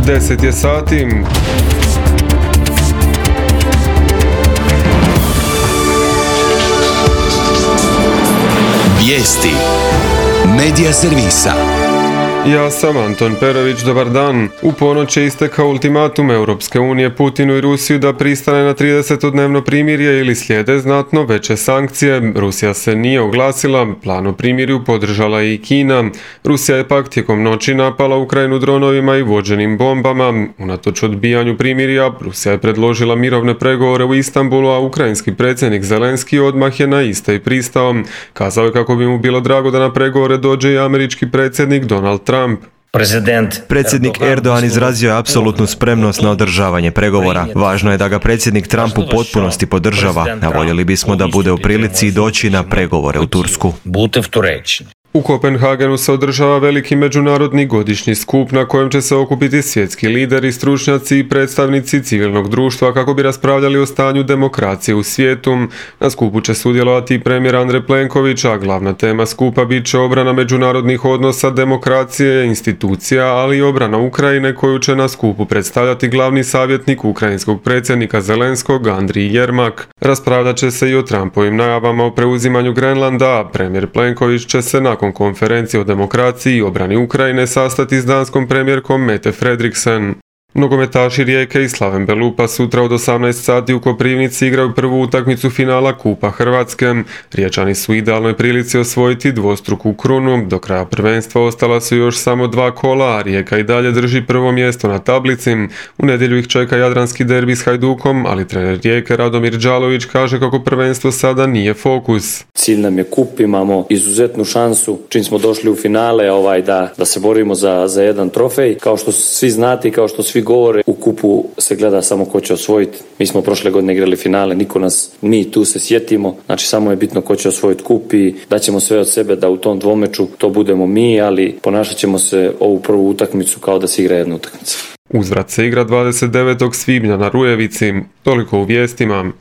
10 je sati. Vijesti Medija servisa. Ja sam Anton Perović, dobar dan. U ponoć je istekao ultimatum Europske unije Putinu i Rusiju da pristane na 30-dnevno primirje ili slijede znatno veće sankcije. Rusija se nije oglasila, plan o primirju podržala je i Kina. Rusija je pak tijekom noći napala Ukrajinu dronovima i vođenim bombama. Unatoč odbijanju primirja, Rusija je predložila mirovne pregovore u Istanbulu, a ukrajinski predsjednik Zelenski odmah je na iste i pristao. Kazao je kako bi mu bilo drago da na pregovore dođe i američki predsjednik Donald Trump. Predsjednik Erdogan izrazio je apsolutnu spremnost na održavanje pregovora. Važno je da ga predsjednik Trump u potpunosti podržava, a voljeli bismo da bude u prilici doći na pregovore u Tursku. U Kopenhagenu se održava veliki međunarodni godišnji skup na kojem će se okupiti svjetski lideri, stručnjaci i predstavnici civilnog društva kako bi raspravljali o stanju demokracije u svijetu. Na skupu će sudjelovati i premijer Andrej Plenković, a glavna tema skupa bit će obrana međunarodnih odnosa, demokracije, institucija, ali i obrana Ukrajine koju će na skupu predstavljati glavni savjetnik ukrajinskog predsjednika Zelenskog Andrij Jermak. Raspravljat će se i o Trumpovim najavama o preuzimanju Grenlanda, a premijer Plenković će se nakon konferencije o demokraciji i obrani Ukrajine sastati s danskom premijerkom Mette Frederiksen. Nogometaši Rijeke i Slaven Belupa sutra od 18 sati u Koprivnici igraju prvu utakmicu finala Kupa Hrvatske. Riječani su u idealnoj prilici osvojiti dvostruku krunu. Do kraja prvenstva ostala su još samo 2 kola, a Rijeka i dalje drži prvo mjesto na tablici. U nedjelju ih čeka jadranski derbi s Hajdukom, ali trener Rijeke Radomir Đalović kaže kako prvenstvo sada nije fokus. Cilj nam je kup, imamo izuzetnu šansu čim smo došli u finale da se borimo za jedan trofej. Kao što svi znate i kao što svi govore, u kupu se gleda samo ko će osvojiti. Mi smo prošle godine igrali finale, mi tu se sjetimo, znači samo je bitno ko će osvojiti kup i daćemo sve od sebe da u tom dvomeču to budemo mi, ali ponašat ćemo se ovu prvu utakmicu kao da se igra jedna utakmica. Uzvrat se igra 29. svibnja na Rujevici. Toliko u vijestima.